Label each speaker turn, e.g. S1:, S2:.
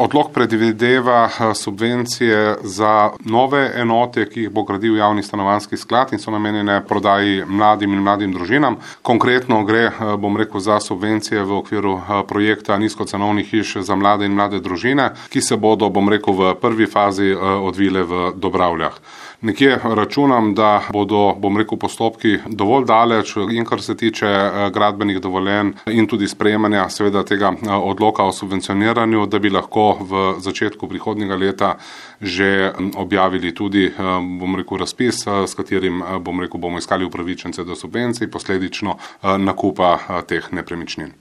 S1: Odlok predvideva subvencije za nove enote, ki jih bo gradil javni stanovanjski sklad in so namenjene prodaji mladim in mladim družinam. Konkretno gre, za subvencije v okviru projekta nizkocenovnih hiš za mlade in mlade družine, ki se bodo, v prvi fazi odvile v Dobravljah. Nekje računam, da bodo, postopki dovolj daleč in kar se tiče gradbenih dovoljenj in tudi sprejemanja seveda tega odloka o subvencioniranju, da bi lahko v začetku prihodnjega leta že objavili tudi, razpis, s katerim, bomo iskali upravičence do subvencij, posledično nakupa teh nepremičnin.